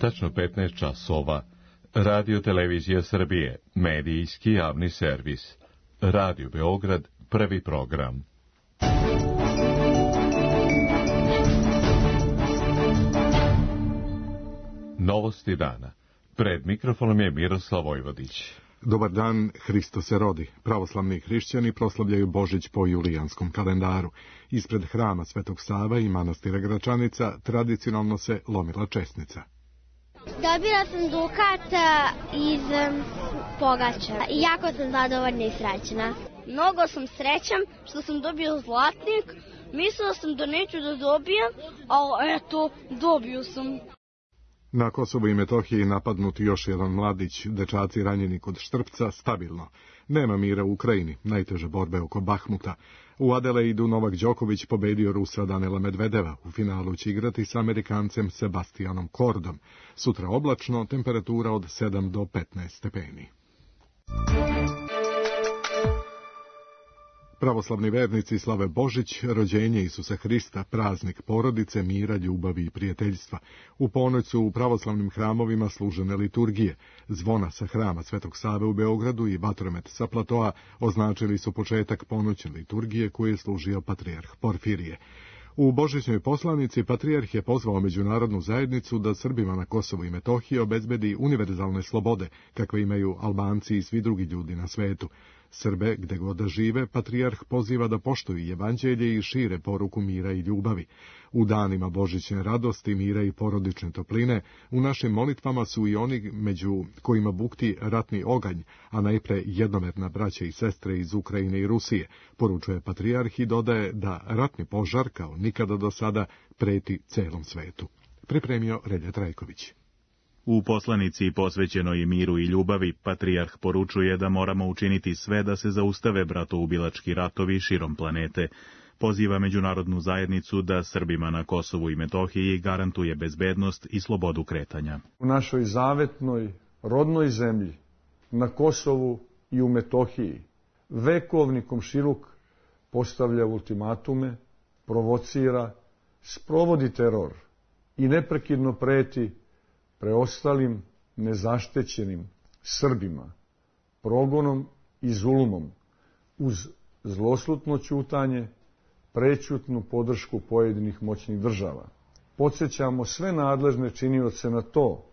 Tačno 15 časova. Radio Televizija Srbije, medijski javni servis. Radio Beograd, prvi program. Novosti dana. Pred mikrofonom je Miroslav Vojvodić. Dobar dan, Hristo se rodi. Pravoslavni hrišćani proslavljaju Božić po julijanskom kalendaru. Ispred hrama Svetog Save i manastira Gračanica tradicionalno se lomila česnica. Dobila sam dukat iz pogača i jako sam zadovoljna i srećna. Mnogo sam srećan što sam dobio zlatnik. Mislila sam da neću da dobijem, ali eto, dobio sam. Na Kosovu i Metohiji napadnut još jedan mladić, dečaci ranjeni kod Štrpca, stabilno. Nema mira u Ukrajini, najteže borbe oko Bahmuta. U Adelaidu Novak Đoković pobedio Rusa Danila Medvedeva. U finalu će igrati s Amerikancem Sebastianom Kordom. Sutra oblačno, temperatura od 7 do 15 stepeni. Pravoslavni vernici slave Božić, rođenje Isusa Hrista, praznik porodice, mira, ljubavi i prijateljstva. U ponoć su u pravoslavnim hramovima služene liturgije. Zvona sa hrama Svetog Save u Beogradu i vatromet sa platoa označili su početak ponoćne liturgije koju je služio patrijarh Porfirije. U božićnoj poslanici patrijarh je pozvao međunarodnu zajednicu da Srbima na Kosovu i Metohiji obezbedi univerzalne slobode, kakve imaju Albanci i svi drugi ljudi na svetu. Srbe, gde god da žive, patrijarh poziva da poštuju evanđelje i šire poruku mira i ljubavi. U danima božićne radosti, mira i porodične topline, u našim molitvama su i oni među kojima bukti ratni oganj, a najpre jednomerna braća i sestre iz Ukrajine i Rusije, poručuje patrijarh i dodaje da ratni požar, kao nikada do sada, preti celom svetu. Pripremio Relja Trajković. U poslanici posvećenoj miru i ljubavi, patrijarh poručuje da moramo učiniti sve da se zaustave bratoubilački ratovi širom planete. Poziva međunarodnu zajednicu da Srbima na Kosovu i Metohiji garantuje bezbednost i slobodu kretanja. U našoj zavetnoj, rodnoj zemlji, na Kosovu i u Metohiji, vekovni komšiluk postavlja ultimatume, provocira, sprovodi teror i neprekidno preti preostalim nezaštećenim Srbima, progonom i zulumom, uz zloslutno ćutanje, prećutnu podršku pojedinih moćnih država. Podsjećamo sve nadležne činioce na to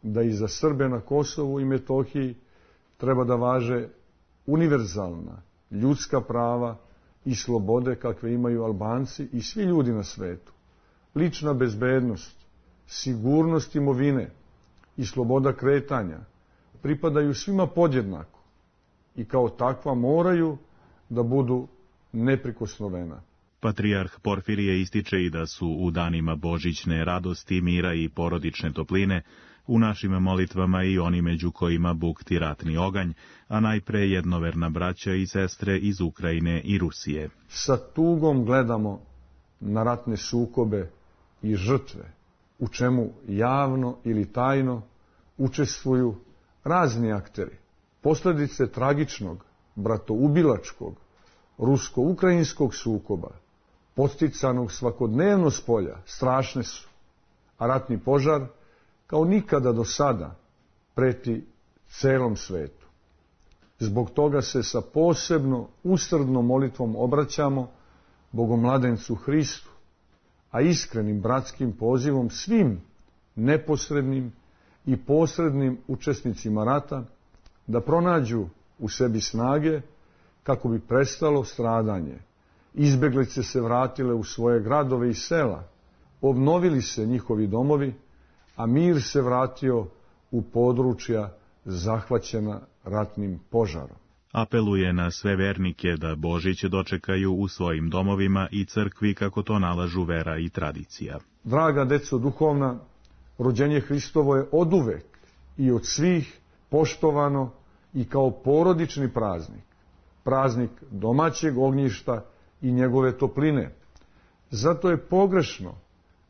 da i za Srbe na Kosovu i Metohiji treba da važe univerzalna ljudska prava i slobode kakve imaju Albanci i svi ljudi na svetu. Lična bezbednost, sigurnost imovine i sloboda kretanja pripadaju svima podjednako i kao takva moraju da budu neprikosnovena. Patrijarh Porfirije ističe i da su u danima božićne radosti, mira i porodične topline u našim molitvama i oni među kojima bukti ratni oganj, a najpre jednoverna braća i sestre iz Ukrajine i Rusije. Sa tugom gledamo na ratne sukobe i žrtve, u čemu javno ili tajno učestvuju razni akteri. Posljedice tragičnog, bratoubilačkog, rusko-ukrajinskog sukoba, podsticanog svakodnevno spolja, strašne su, a ratni požar, kao nikada do sada, preti celom svetu. Zbog toga se sa posebno usrdnom molitvom obraćamo Bogomladencu Hristu, a iskrenim bratskim pozivom svim neposrednim i posrednim učesnicima rata da pronađu u sebi snage kako bi prestalo stradanje. Izbeglice se vratile u svoje gradove i sela, obnovili se njihovi domovi, a mir se vratio u područja zahvaćena ratnim požarom. Apeluje na sve vernike da Božić dočekaju u svojim domovima i crkvi kako to nalažu vera i tradicija. Draga deco duhovna, rođenje Hristovo je oduvek i od svih poštovano i kao porodični praznik, praznik domaćeg ognjišta i njegove topline. Zato je pogrešno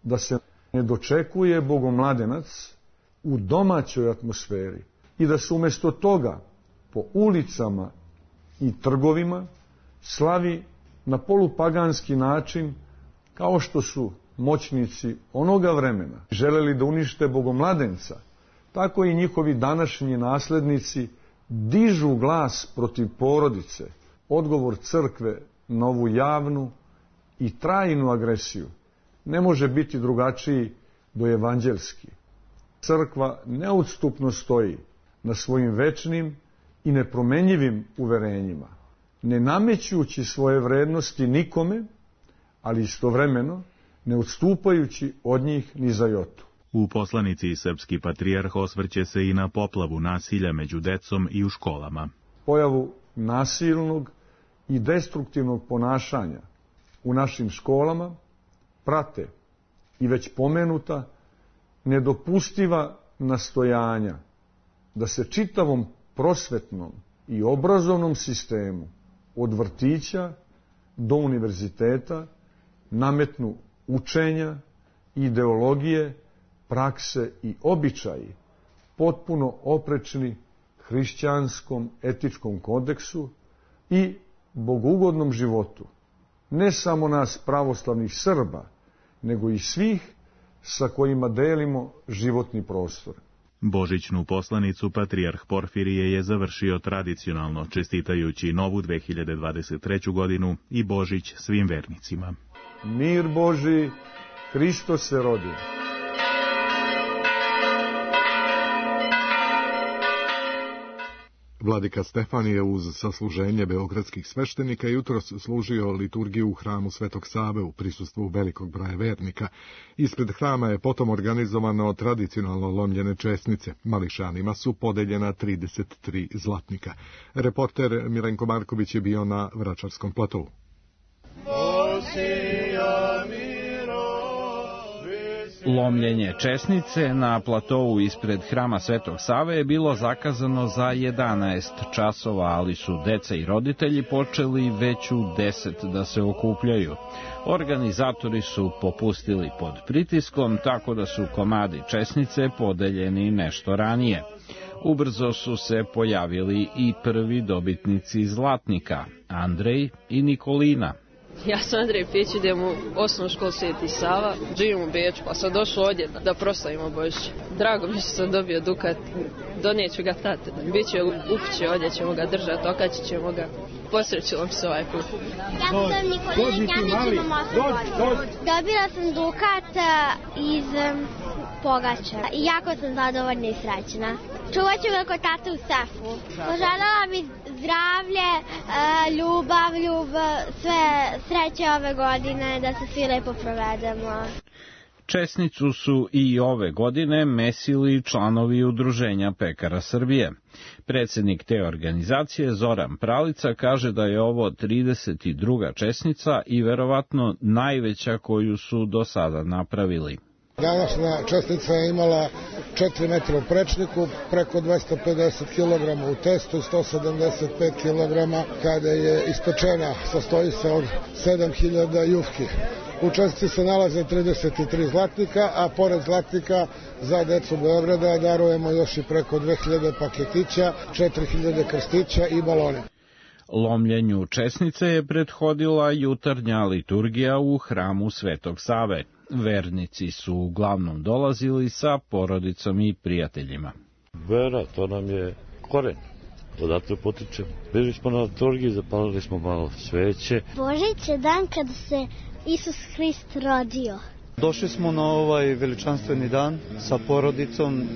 da se ne dočekuje Bogomladenac u domaćoj atmosferi i da se umjesto toga po ulicama i trgovima slavi na polupaganski način, kao što su moćnici onoga vremena želeli da unište bogomladenca, tako i njihovi današnji naslednici dižu glas protiv porodice. Odgovor crkve na ovu javnu i trajnu agresiju ne može biti drugačiji do evanđelski. Crkva neodstupno stoji na svojim večnim i nepromenjivim uverenjima, ne namećući svoje vrednosti nikome, ali istovremeno ne odstupajući od njih ni za jotu. U poslanici srpski patrijarh osvrće se i na poplavu nasilja među decom i u školama. Pojavu nasilnog i destruktivnog ponašanja u našim školama prate i već pomenuta nedopustiva nastojanja da se čitavom prosvetnom i obrazovnom sistemu od vrtića do univerziteta nametnu učenja, ideologije, prakse i običaji potpuno oprečni hrišćanskom etičkom kodeksu i bogugodnom životu, ne samo nas pravoslavnih Srba, nego i svih sa kojima delimo životni prostor. Božićnu poslanicu patrijarh Porfirije je završio tradicionalno, čestitajući novu 2023. godinu i Božić svim vernicima. Mir Boži, Hristos se rodi. Vladika Stefan je uz sasluženje beogradskih sveštenika jutros služio liturgiju u hramu Svetog Save u prisustvu velikog broja vernika. Ispred hrama je potom organizovano tradicionalno lomljene česnice. Mališanima su podeljena 33 zlatnika. Reporter Milenko Marković je bio na Vračarskom platovu. Lomljenje česnice na platovu ispred hrama Svetog Save je bilo zakazano za 11 časova, ali su deca i roditelji počeli već u 10 da se okupljaju. Organizatori su popustili pod pritiskom, tako da su komadi česnice podeljeni nešto ranije. Ubrzo su se pojavili i prvi dobitnici zlatnika, Andrej i Nikolina. Ja sam Andrej Pić, idem u osnovnu školu Sveti Sava, živim u Beču, pa sam došao ovdje da proslavimo Božić. Drago mi što sam dobio dukat, donijeću ga tate, biće u kući, ovdje ćemo ga držati, okačit ćemo ga. Posrećilo mi se ovaj put. Ja sam Nikolina Njanić, imam 8 godina. Dobila sam dukat iz pogača i jako sam zadovoljna i srećna. Čuvat ću ga kod tate u sefu. Poželjela mi zdravlje, ljubav, sve sreće ove godine, da se svi lepo provedemo. Česnicu su i ove godine mesili članovi Udruženja pekara Srbije. Predsjednik te organizacije Zoran Pralica kaže da je ovo 32. česnica i verovatno najveća koju su do sada napravili. Današnja čestica je imala 4 metra u prečniku, preko 250 kg u testu, 175 kg kada je ispečena, sastoji se od 7000 jufki. U čestici se nalaze 33 zlatnika, a pored zlatnika za decu Beograda darujemo još i preko 2000 paketića, 4000 krstića i balone. Lomljenju česnice je prethodila jutarnja liturgija u hramu Svetog Save. Vernici su uglavnom dolazili sa porodicom i prijateljima. Vera, to nam je koren. Odatle potičemo. Bili smo na liturgiji, zapalili smo malo sveće. Božić je dan kada se Isus Hrist rodio. Došli smo na ovaj veličanstveni dan sa porodicom,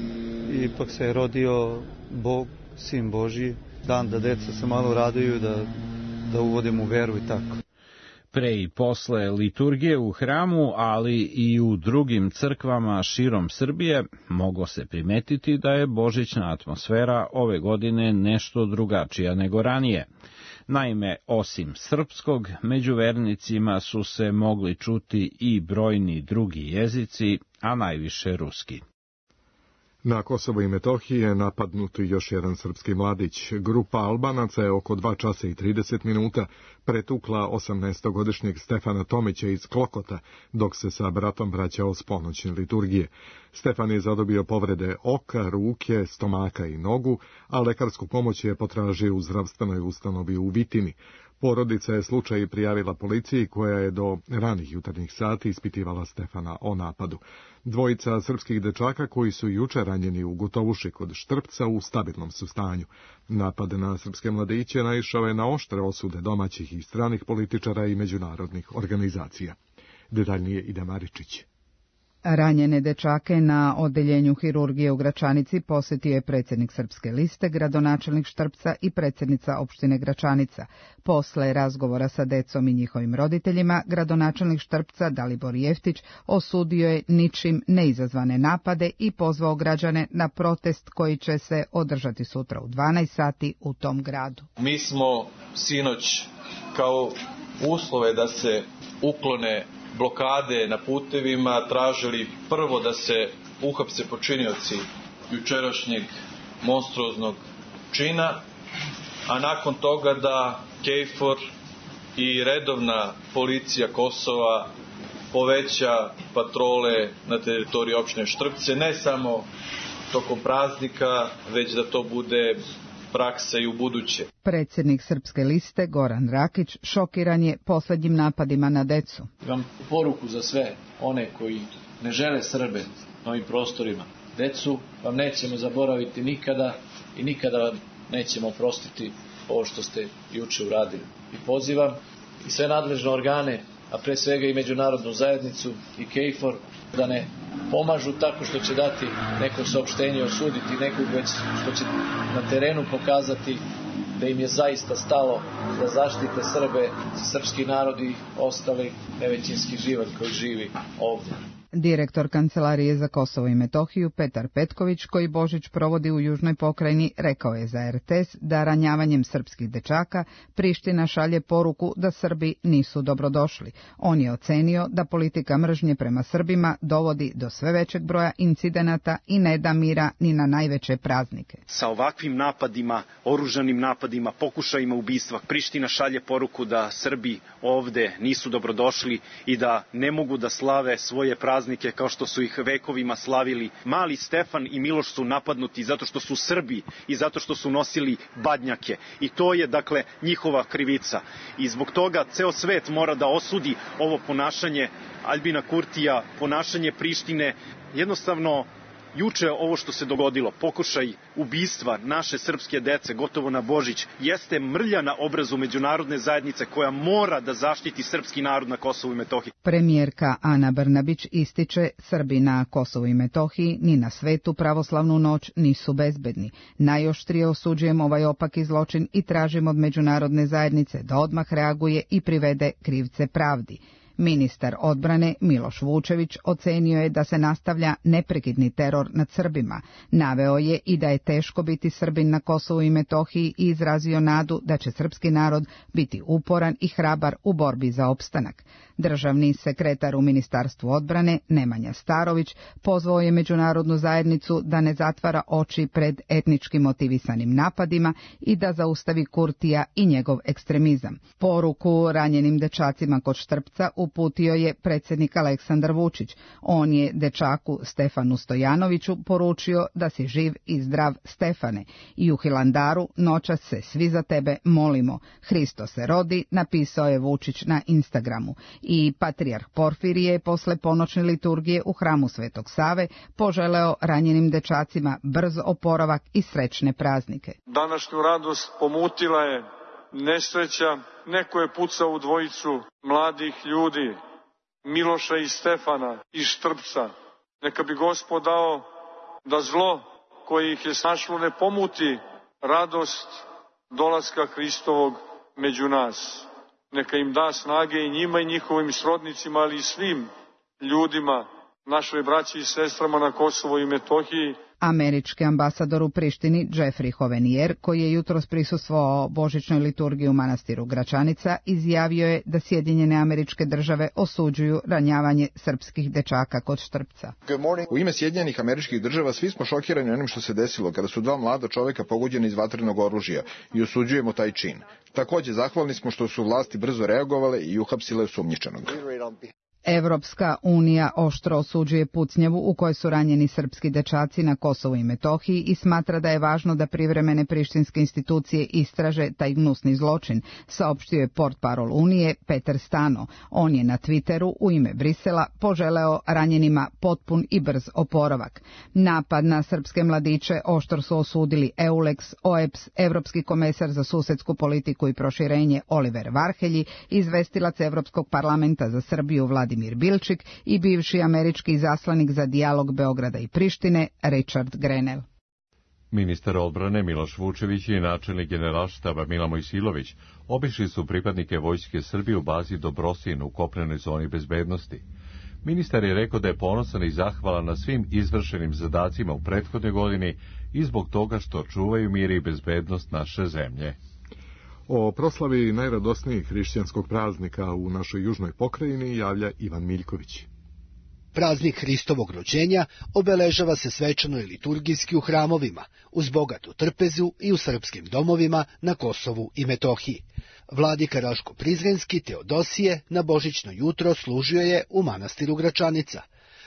ipak se je rodio Bog, Sin Božji, dan da deca se malo raduju, da uvodimo u veru i tako. Pre i posle liturgije u hramu, ali i u drugim crkvama širom Srbije, moglo se primetiti da je božićna atmosfera ove godine nešto drugačija nego ranije. Naime, osim srpskog, među vernicima su se mogli čuti i brojni drugi jezici, a najviše ruski. Na Kosovo i Metohiji je napadnut još jedan srpski mladić. Grupa Albanaca je oko 2 časa i 30 minuta pretukla 18-godišnjeg Stefana Tomića iz Klokota, dok se sa bratom vraćao s ponoćne liturgije. Stefan je zadobio povrede oka, ruke, stomaka i nogu, a lekarsku pomoć je potražio u zdravstvenoj ustanovi u Vitini. Porodica je slučaj prijavila policiji koja je do ranih jutarnjih sati ispitivala Stefana o napadu. Dvojica srpskih dečaka koji su juče ranjeni u Gotovuši kod Štrpca u stabilnom su stanju. Napad na srpske mladiće naišao je na oštre osude domaćih i stranih političara i međunarodnih organizacija. Detaljnije Ida Maričić. Ranjene dečake na odeljenju hirurgije u Gračanici posjetio je predsjednik Srpske liste, gradonačelnik Štrpca i predsjednica opštine Gračanica. Posle razgovora sa decom i njihovim roditeljima, gradonačelnik Štrpca Dalibor Jeftić osudio je ničim neizazvane napade i pozvao građane na protest koji će se održati sutra u 12 sati u tom gradu. Mi smo sinoć kao uslove da se uklone blokade na putevima tražili prvo da se uhapse počinioci jučerašnjeg monstruoznog čina, a nakon toga da KFOR i redovna policija Kosova poveća patrole na teritoriji opštine Štrpce, ne samo tokom praznika, već da to bude praksa i u buduće. Predsjednik Srpske liste Goran Rakić šokiran je posljednjim napadima na decu. Imam poruku za sve one koji ne žele Srbe na ovim prostorima. Decu vam nećemo zaboraviti nikada i nikada vam nećemo oprostiti ovo što ste juče uradili. I pozivam i sve nadležne organe, a pre svega i međunarodnu zajednicu i KFOR, da ne pomažu tako što će dati neko saopštenje, osuditi nekog, već što će na terenu pokazati da im je zaista stalo da zaštite Srbe, srpski narod i ostali nevećinski život koji živi ovdje. Direktor Kancelarije za Kosovo i Metohiju Petar Petković, koji Božić provodi u južnoj pokrajini, rekao je za RTS da ranjavanjem srpskih dečaka Priština šalje poruku da Srbi nisu dobrodošli. On je ocenio da politika mržnje prema Srbima dovodi do sve većeg broja incidenata i ne da mira ni na najveće praznike. Sa ovakvim napadima, oružanim napadima, pokušajima ubistva, Priština šalje poruku da Srbi ovde nisu dobrodošli i da ne mogu da slave svoje praznike kao što su ih vekovima slavili. Mali Stefan i Miloš su napadnuti zato što su Srbi i zato što su nosili badnjake. I to je, dakle, njihova krivica. I zbog toga ceo svet mora da osudi ovo ponašanje Aljbina Kurtija, ponašanje Prištine. Jednostavno, juče ovo što se dogodilo, pokušaj ubistva naše srpske dece gotovo na Božić, jeste mrlja na obrazu međunarodne zajednice koja mora da zaštiti srpski narod na Kosovu i Metohiji. Premijerka Ana Brnabić ističe, Srbi na Kosovu i Metohiji ni na svetu pravoslavnu noć nisu bezbedni. Najoštrije osuđujemo ovaj opaki zločin i tražimo od međunarodne zajednice da odmah reaguje i privede krivce pravdi. Ministar odbrane Miloš Vučević ocenio je da se nastavlja neprekidni teror nad Srbima. Naveo je i da je teško biti Srbin na Kosovu i Metohiji i izrazio nadu da će srpski narod biti uporan i hrabar u borbi za opstanak. Državni sekretar u Ministarstvu odbrane Nemanja Starović pozvao je međunarodnu zajednicu da ne zatvara oči pred etnički motivisanim napadima i da zaustavi Kurtija i njegov ekstremizam. Poruku ranjenim dečacima kod Štrpca uputio je predsjednik Aleksandar Vučić. On je dečaku Stefanu Stojanoviću poručio da si živ i zdrav, Stefane, i u Hilandaru noćas se svi za tebe molimo. Hristo se rodi, napisao je Vučić na Instagramu. I patrijarh Porfirije posle ponoćne liturgije u hramu Svetog Save poželeo ranjenim dečacima brz oporavak i srećne praznike. Današnju radost pomutila je nesreća. Neko je pucao u dvojicu mladih ljudi, Miloša i Stefana iz Štrpca. Neka bi Gospod dao da zlo koje ih je snašlo ne pomuti radost dolaska Hristovog među nas. Neka im da snage i njima i njihovim srodnicima, ali i svim ljudima, našoj braći i sestrama na Kosovo i Metohiji. Američki ambasador u Prištini Jeffrey Hovenier, koji je jutros prisustvovao božićnoj liturgiji u manastiru Gračanica, izjavio je da Sjedinjene Američke Države osuđuju ranjavanje srpskih dečaka kod Štrpca. U ime Sjedinjenih Američkih Država svi smo šokirani onim što se desilo kada su dva mlada čoveka pogođena iz vatrenog oružja i osuđujemo taj čin. Takođe, zahvalni smo što su vlasti brzo reagovale i uhapsile osumnjičenog. Evropska unija oštro osuđuje pucnjavu u kojoj su ranjeni srpski dečaci na Kosovu i Metohiji i smatra da je važno da privremene prištinske institucije istraže taj gnusni zločin, saopštio je portparol Unije Peter Stano. On je na Twitteru u ime Brisela poželeo ranjenima potpun i brz oporavak. Napad na srpske mladiće oštro su osudili EULEX, OEBS, Evropski komesar za susedsku politiku i proširenje Oliver Varhelji, izvestilac Evropskog parlamenta za Srbiju Vladimir Bilčik i bivši američki izaslanik za dijalog Beograda i Prištine Richard Grenell. Ministar odbrane Miloš Vučević i načelnik generalštaba Mila Mojsilović obišli su pripadnike Vojske Srbije u bazi Dobrosin u kopnenoj zoni bezbednosti. Ministar je rekao da je ponosan i zahvalan na svim izvršenim zadacima u prethodnoj godini i zbog toga što čuvaju mir i bezbednost naše zemlje. O proslavi najradosnijeg hrišćanskog praznika u našoj južnoj pokrajini javlja Ivan Miljković. Praznik Hristovog rođenja obeležava se svečano i liturgijski u hramovima, uz bogatu trpezu i u srpskim domovima na Kosovu i Metohiji. Vladika Raško-Prizrenski Teodosije na božićno jutro služio je u manastiru Gračanica.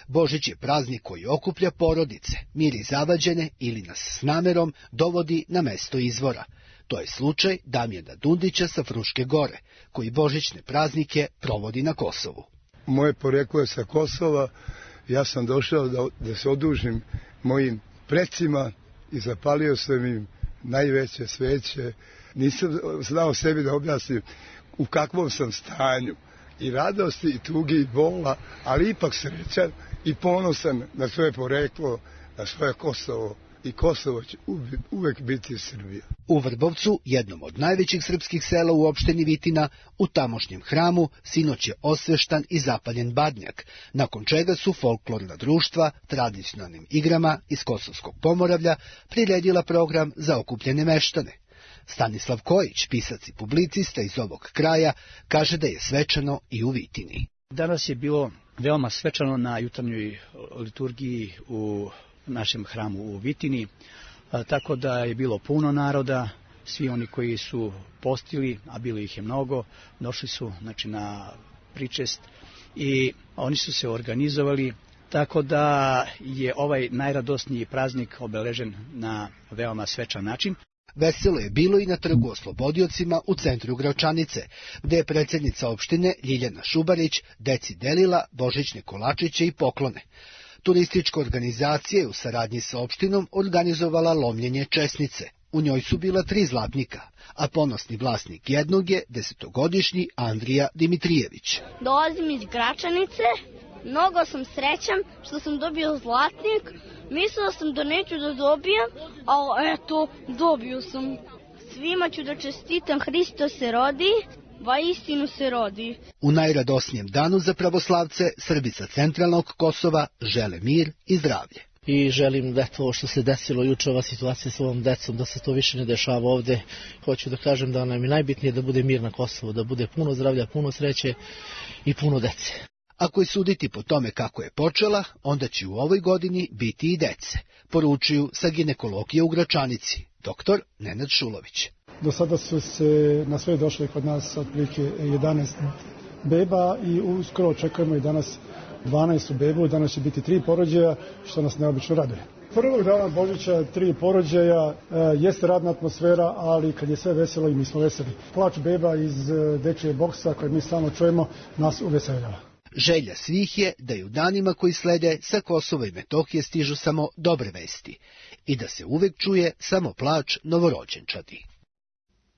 Božić je praznik koji okuplja porodice, miri zavađene ili nas s namerom dovodi na mesto izvora. To je slučaj Damjana Dundića sa Fruške gore, koji božićne praznike provodi na Kosovu. Moje poreklo je sa Kosova, ja sam došao da se odužim mojim precima i zapalio sam im najveće sveće. Nisam znao sebi da objasnim u kakvom sam stanju, i radosti, i tugi, i bola, ali ipak srećan i ponosan na svoje poreklo, na svoje Kosovo. I Kosovo će uvek biti Srbija. U Vrbovcu, jednom od najvećih srpskih sela u opštini Vitina, u tamošnjem hramu sinoć je osveštan i zapaljen badnjak, nakon čega su folklorna društva tradicionalnim igrama iz Kosovskog Pomoravlja priredila program za okupljene meštane. Stanislav Kojić, pisac i publicista iz ovog kraja, kaže da je svečano i u Vitini. Danas je bilo veoma svečano na jutarnjoj liturgiji u našem hramu u Vitini, tako da je bilo puno naroda. Svi oni koji su postili, a bilo ih je mnogo, došli su na pričest i oni su se organizovali, tako da je ovaj najradosniji praznik obeležen na veoma svečan način. Veselo je bilo i na trgu Oslobodiocima u centru Gračanice, gde je predsjednica opštine Ljiljana Šubarić deci delila božićne kolačiće i poklone. Turistička organizacija je u saradnji sa opštinom organizovala lomljenje česnice. U njoj su bila 3 zlatnika, a ponosni vlasnik jednog je 10-godišnji Andrija Dimitrijević. Dolazim iz Gračanice, mnogo sam srećan što sam dobio zlatnik. Mislila sam da neću da dobijem, ali eto, dobio sam. Svima ću da čestitam, Hristo se rodi. Vaistinu se rodi. U najradosnijem danu za pravoslavce Srbi sa centralnog Kosova žele mir i zdravlje. I želim da to što se desilo juče, ova situacija s ovom decom, da se to više ne dešava ovde. Hoću da kažem da nam je najbitnije da bude mir na Kosovu, da bude puno zdravlja, puno sreće i puno dece. Ako je suditi po tome kako je počela, onda će u ovoj godini biti i dece, poručuju sa ginekologije u Gračanici, dr. Nenad Šulović. Do sada su se na sve došli kod nas otprilike 11 beba i uskoro očekujemo i danas 12 bebu, danas će biti 3 porođaja, što nas neobično raduje. Prvog dana Božića 3 porođaja, jeste radna atmosfera, ali kad je sve veselo i mi smo veseli. Plač beba iz dečije boksa koje mi stalno čujemo nas uveseljava. Želja svih je da i u danima koji slede sa Kosova i Metohije stižu samo dobre vesti i da se uvek čuje samo plač novorođenčadi.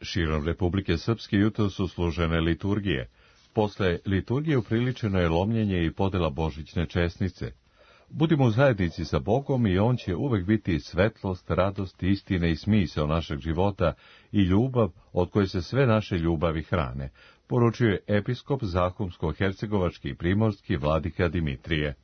Širom Republike Srpske jutro su služene liturgije. Posle liturgije upriličeno je lomljenje i podela božićne česnice. Budimo u zajednici sa Bogom i On će uvek biti svetlost, radost, istina i smisao našeg života i ljubav od koje se sve naše ljubavi hrane, poručuje episkop Zahumsko-hercegovački i primorski vladika Dimitrije.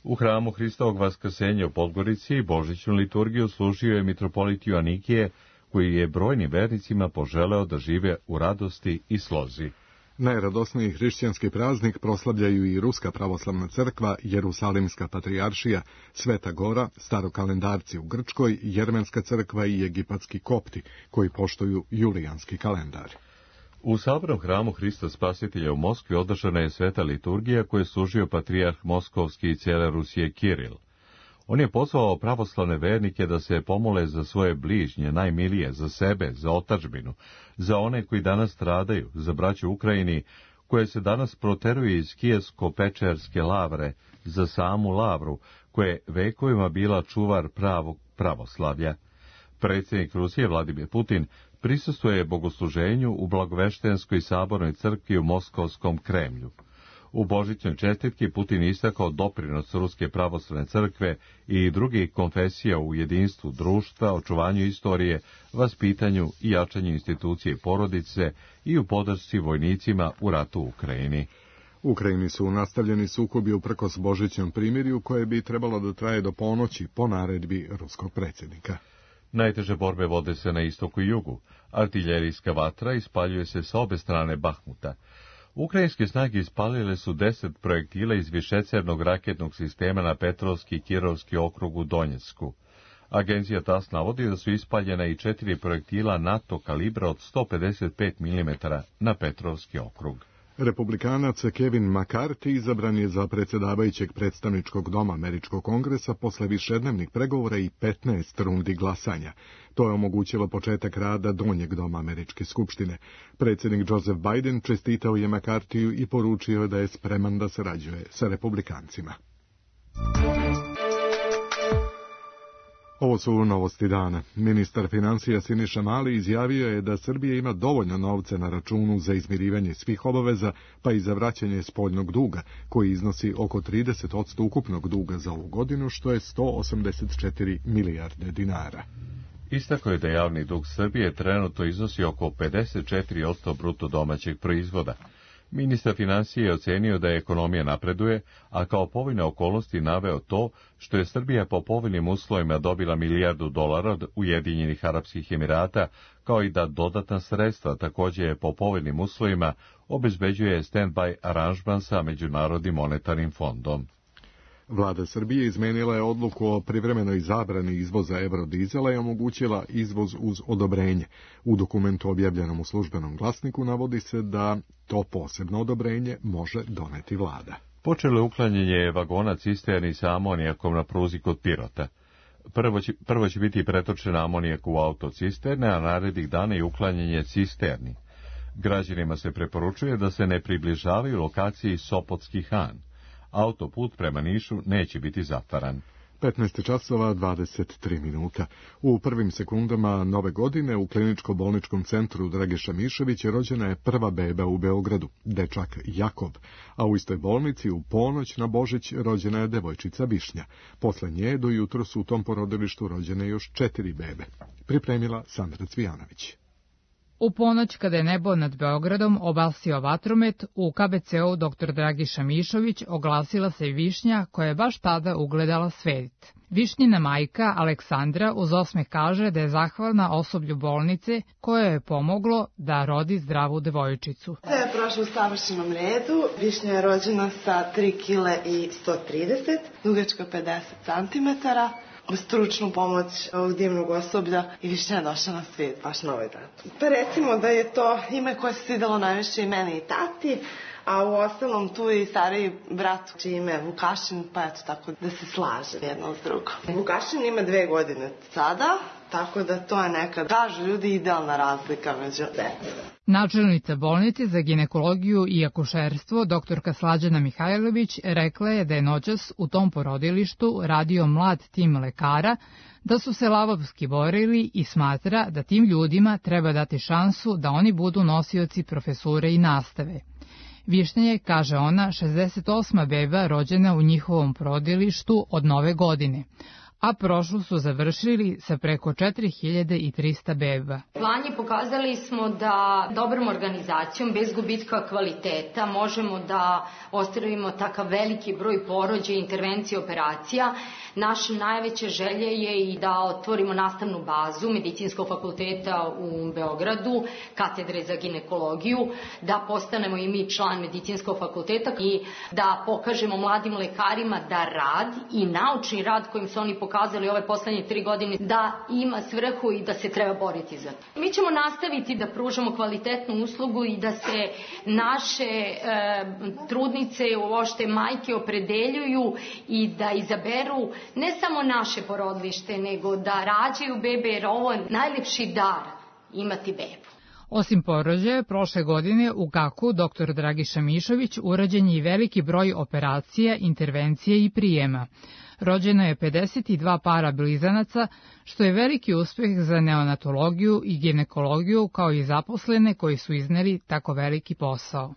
U hramu Hristovog vaskrsenja u Podgorici božićnu liturgiju služio je mitropolit Joanikije, koji je brojnim vernicima poželeo da žive u radosti i slozi. Najradosniji hrišćanski praznik proslavljaju i Ruska pravoslavna crkva, Jerusalimska patrijaršija, Sveta Gora, starokalendarci u Grčkoj, Jermenska crkva i egipatski kopti, koji poštuju julijanski kalendar. U sabornom hramu Hrista Spasitelja u Moskvi održana je sveta liturgija koju je služio patrijarh Moskovski i cijele Rusije Kiril. On je pozvao pravoslavne vernike da se pomole za svoje bližnje, najmilije, za sebe, za otadžbinu, za one koji danas stradaju, za braću u Ukrajini, koje se danas proteruje iz Kijevsko-Pečerske lavre, za samu lavru, koja je vekovima bila čuvar pravog pravoslavlja. Predsjednik Rusije Vladimir Putin prisustvuje bogosluženju u Blagoveštenskoj sabornoj crkvi u Moskovskom Kremlju. U božićnoj čestitki Putin istakao doprinos Ruske pravoslavne crkve i drugih konfesija u jedinstvu društva, očuvanju istorije, vaspitanju i jačanju institucije porodice i u podršci vojnicima u ratu u Ukrajini. U Ukrajini su nastavljeni sukobi uprkos božićnom primirju koje bi trebalo da traje do ponoći po naredbi ruskog predsjednika. Najteže borbe vode se na istoku i jugu. Artiljerijska vatra ispaljuje se sa obe strane Bahmuta. Ukrajinske snage ispalile su 10 projektila iz višecernog raketnog sistema na Petrovski i Kirovski okrug u Donjecku. Agencija TASS navodi da su ispaljena i 4 projektila NATO kalibra od 155 mm na Petrovski okrug. Republikanac Kevin McCarthy izabran je za predsjedavajućeg predstavničkog doma Američkog kongresa posle višednevnih pregovora i 15 rundi glasanja. To je omogućilo početak rada donjeg doma Američke skupštine. Predsjednik Joseph Biden čestitao je McCarthyu i poručio da je spreman da sarađuje sa republikancima. Ovo su novosti dana. Ministar financija Siniša Mali izjavio je da Srbija ima dovoljno novca na računu za izmirivanje svih obaveza, pa i za vraćanje spoljnog duga, koji iznosi oko 30% ukupnog duga za ovu godinu, što je 184 milijarde dinara. Istakao je da javni dug Srbije trenutno iznosi oko 54% bruto domaćeg proizvoda. Ministar financije je ocenio da ekonomija napreduje, a kao povoljne okolnosti naveo to što je Srbija po povoljnim uslovima dobila $1 milijardu od Ujedinjenih Arapskih Emirata, kao i da dodatna sredstva također je po povoljnim uslovima obezbeđuje stand-by aranžman sa Međunarodnim monetarnim fondom. Vlada Srbije izmenila je odluku o privremenoj zabrani izvoza eurodizela i omogućila izvoz uz odobrenje. U dokumentu objavljenom u Službenom glasniku navodi se da to posebno odobrenje može doneti vlada. Počelo je uklanjanje vagona cisterni sa amonijakom na pruzi kod Pirota. Prvo će biti pretočen amonijak u autocisterne, a narednih dana i uklanjanje cisterni. Građanima se preporučuje da se ne približavaju lokaciji Sopotski Han. Autoput prema Nišu neće biti zatvaran. 15:23. U prvim sekundama nove godine u kliničko-bolničkom centru Dragiša Mišovića rođena je prva beba u Beogradu, dečak Jakov, a u istoj bolnici u ponoć na Božić rođena je devojčica Višnja. Posle nje do jutro su u tom porodilištu rođene još 4 bebe. Pripremila Sandra Cvijanović. U ponoć, kada je nebo nad Beogradom obasio vatromet, u KBC-u dr. Dragiša Mišović oglasila se i Višnja, koja je baš tada ugledala svet. Višnjina majka Aleksandra uz osmeh kaže da je zahvalna osoblju bolnice koje je pomoglo da rodi zdravu devojčicu. Sve je prošlo u savršenom redu. Višnja je rođena sa 3 kg i 130, dugačka 50 cm. Uz stručnu pomoć ovog divnog osoblja i Višnja je došla na svijet baš na ovaj dan. Pa recimo da je to ime koje se svidelo najviše i meni i tati, a u ostalom tu je i stariji brat čije ime je Vukašin, pa eto tako da se slaže jedno s drugom. Vukašin ima 2 godine sada, tako da to je neka, kažu ljudi, idealna razlika među decom. Načelnica bolnice za ginekologiju i akušerstvo, doktorka Slađana Mihajlović, rekla je da je noćas u tom porodilištu radio mlad tim lekara, da su se lavovski borili i smatra da tim ljudima treba dati šansu da oni budu nosioci profesure i nastave. Višnja je, kaže ona, 68. beba rođena u njihovom porodilištu od nove godine, a prošlu su završili sa preko 4300 beba. Lani pokazali smo da dobrom organizacijom, bez gubitka kvaliteta, možemo da ostvarimo takav veliki broj porođaja, intervencija, operacija. Naša najveća želja je i da otvorimo nastavnu bazu Medicinskog fakulteta u Beogradu, katedre za ginekologiju, da postanemo i mi član Medicinskog fakulteta i da pokažemo mladim lekarima da rad i naučni rad kojim se oni pokazuju pokazali ove poslednje 3 godine da ima svrhu i da se treba boriti za to. Mi ćemo nastaviti da pružamo kvalitetnu uslugu i da se naše trudnice, uopšte majke opredeljuju i da izaberu ne samo naše porodilište, nego da rađaju bebe, jer ovo je najlepši dar imati bebu. Osim porođaja, prošle godine u GAK-u dr. Dragiša Mišović urađen je i veliki broj operacija, intervencije i prijema. Rođeno je 52 para blizanaca, što je veliki uspeh za neonatologiju i ginekologiju, kao i zaposlene koji su izneli tako veliki posao.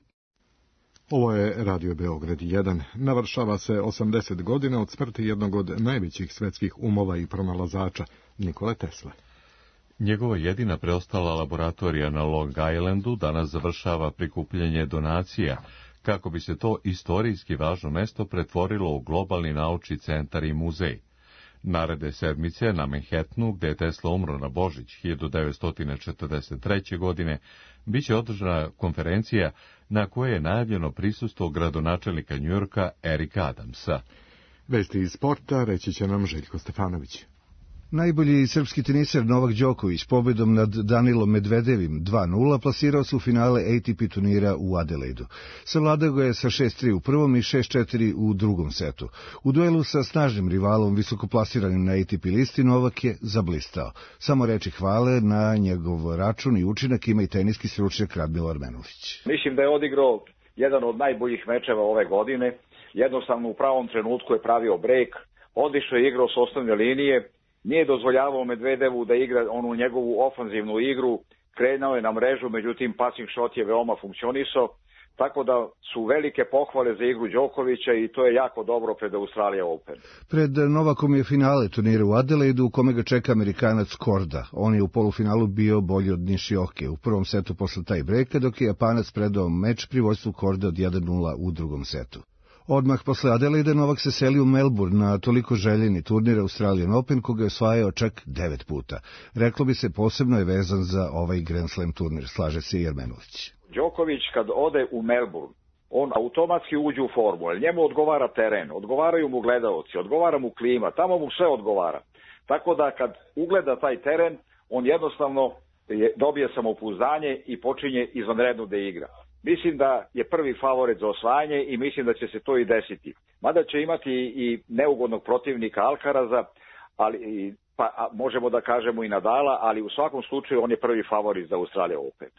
Ovo je Radio Beograd 1. Navršava se 80 godina od smrti jednog od najvećih svetskih umova i pronalazača, Nikole Tesle. Njegova jedina preostala laboratorija na Long Islandu danas završava prikupljanje donacija, kako bi se to istorijski važno mesto pretvorilo u globalni naučni centar i muzej. Naredne sedmice na Manhattanu, gde je Tesla umro na Božić 1943. godine, biće održana konferencija na kojoj je najavljeno prisustvo gradonačelnika Njujorka Erika Adamsa. Vesti iz sporta reći će nam Željko Stefanović. Najbolji srpski teniser Novak Đoković pobedom nad Danilom Medvedevim 2:0 plasirao se u finale ATP turnira u Adelaidu. Savladao ga je sa 6:3 u prvom i 6:4 u drugom setu. U duelu sa snažnim rivalom visokoplasiranim na ATP listi Novak je zablistao. Samo reči hvale na njegov račun i učinak ima i teniski stručnjak Radmilo Armenušić. Mislim da je odigrao jedan od najboljih mečeva ove godine. Jednostavno u pravom trenutku je pravio brejk, odlično je igrao s osnovne linije. Nije dozvoljavao Medvedevu da igra onu njegovu ofanzivnu igru, krenuo je na mrežu, međutim passing shot je veoma funkcionisao, tako da su velike pohvale za igru Đokovića i to je jako dobro pred Australija Open. Pred Novakom je finale turnira u Adelaidu u kome ga čeka Amerikanac Korda. On je u polufinalu bio bolji od Nishioke u prvom setu posle taj brejka, dok je Japanac predao meč pri vođstvu Korda od 1:0 u drugom setu. Odmah posle Adelaide Novak se seli u Melbourne na toliko željeni turnir Australian Open, koga je osvajao čak 9 puta. Reklo bi se posebno je vezan za ovaj Grand Slam turnir, slaže se i Armenušić. Đoković kad ode u Melbourne, on automatski uđe u formu, jer njemu odgovara teren, odgovaraju mu gledaoci, odgovara mu klima, tamo mu sve odgovara. Tako da kad ugleda taj teren, on jednostavno dobije samopouzdanje i počinje izvanredno da igra. Mislim da je prvi favorit za osvajanje i mislim da će se to i desiti. Mada će imati i neugodnog protivnika Alcaraza, ali možemo da kažemo i Nadala, ali u svakom slučaju on je prvi favorit za Australian Open.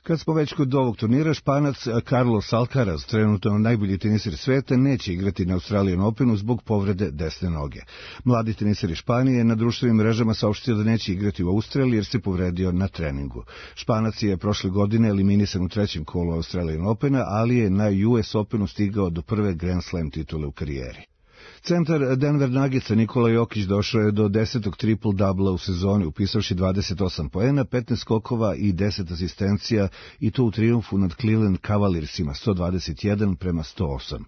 Kad smo već kod ovog turnira, Španac Carlos Alcaraz, trenutno najbolji teniser sveta, neće igrati na Australian Openu zbog povrede desne noge. Mladi teniser iz Španije na društvenim mrežama saopštio da neće igrati u Australiji jer se povredio na treningu. Španac je prošle godine eliminisan u trećem kolu Australian Opena, ali je na US Openu stigao do prve Grand Slam titule u karijeri. Centar Denver Nuggetsa Nikola Jokić došao je do 10. triple-dubla u sezoni, upisavši 28 poena, 15 skokova i 10 asistencija, i to u trijumfu nad Cleveland Cavaliersima 121-108.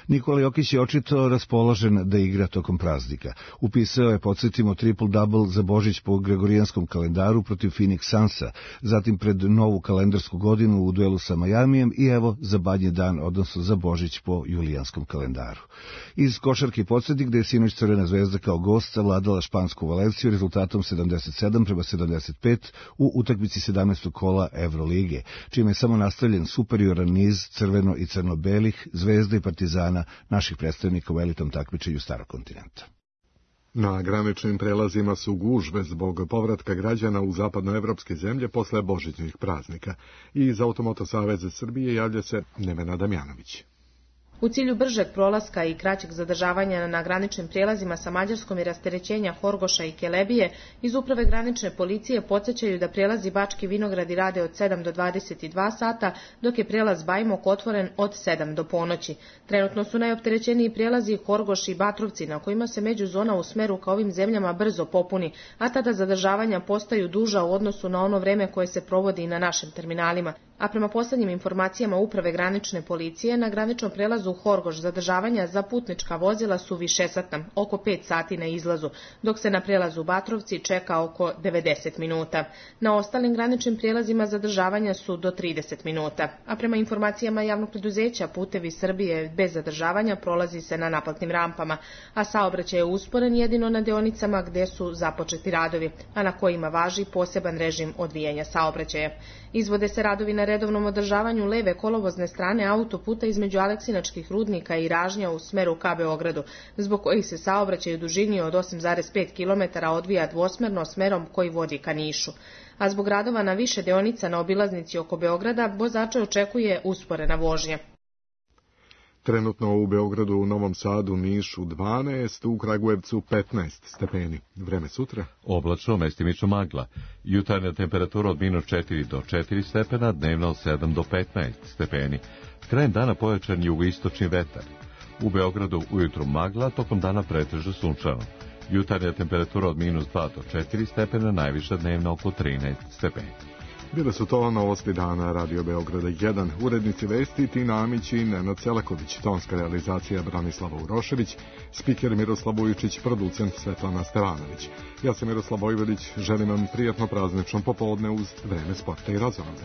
Nikola Jokić je očito raspoložen da igra tokom praznika. Upisao je, podsjetimo, triple-double za Božić po gregorijanskom kalendaru protiv Phoenix Sunsa, zatim pred novu kalendarsku godinu u duelu sa Majamijem i evo za Badnji dan, odnosno za Božić po julijanskom kalendaru. Iz košarke podsjetnik da je sinoć Crvena zvezda kao gost savladala špansku Valenciju rezultatom 77-75 u utakmici 17. kola Evrolige, čime je samo nastavljen superioran niz crveno i crno-belih, Zvezda i Partizana, naših predstavnika u elitom takmičenju Starog kontinenta. Na graničnim prelazima su gužve zbog povratka građana u zapadnoevropske zemlje posle božićnih praznika. I iz Automoto saveza Srbije javlja se Nevena Damjanović. U cilju bržeg prolaska i kraćeg zadržavanja na graničnim prijelazima sa Mađarskom i rasterećenja Horgoša i Kelebije, iz Uprave granične policije podsjećaju da prijelazi Bački Vinogradi rade od 7 do 22 sata, dok je prijelaz Bajmok otvoren od 7 do ponoći. Trenutno su najopterećeniji prijelazi Horgoš i Batrovci, na kojima se međuzona u smeru ka ovim zemljama brzo popuni, a tada zadržavanja postaju duža u odnosu na ono vreme koje se provodi na našim terminalima. A prema posljednjim informacijama Uprave granične policije, na graničnom prelazu Horgoš zadržavanja za putnička vozila su višesatna, oko 5 sati na izlazu, dok se na prelazu Batrovci čeka oko 90 minuta. Na ostalim graničnim prijelazima zadržavanja su do 30 minuta. A prema informacijama javnog preduzeća Putevi Srbije bez zadržavanja prolazi se na naplatnim rampama, a saobraćaj je usporen jedino na deonicama gdje su započeti radovi, a na kojima važi poseban režim odvijanja saobraćaja. Izvode se radovi na redovnom održavanju leve kolovozne strane autoputa između Aleksinačkih rudnika i Ražnja u smeru ka Beogradu, zbog kojih se saobraćaj u dužini od 8,5 km odvija dvosmerno smerom koji vodi ka Nišu. A zbog radova na više deonica na obilaznici oko Beograda, vozače očekuje usporena vožnja. Trenutno u Beogradu, u Novom Sadu, Nišu 12, u Kragujevcu 15 stepeni. Vreme sutra? Oblačno, mestimično magla. Jutarnja temperatura od -4 do 4 stepena, dnevno od 7 do 15 stepeni. Krajem dana pojačan jugoistočni vetar. U Beogradu ujutru magla, tokom dana pretežno sunčano. Jutarnja temperatura od -2 do 4 stepena, najviša dnevna oko 13 stepeni. Bile su to novosti dana Radio Beograda 1, urednici vesti Tina Amić i Nenad Selaković, tonska realizacija Branislava Urošević, spiker Miroslav Vujičić, producent Svetlana Stevanović. Ja sam Miroslav Vojvodić, želim vam prijatno praznično popodne uz Vreme sporta i razonode.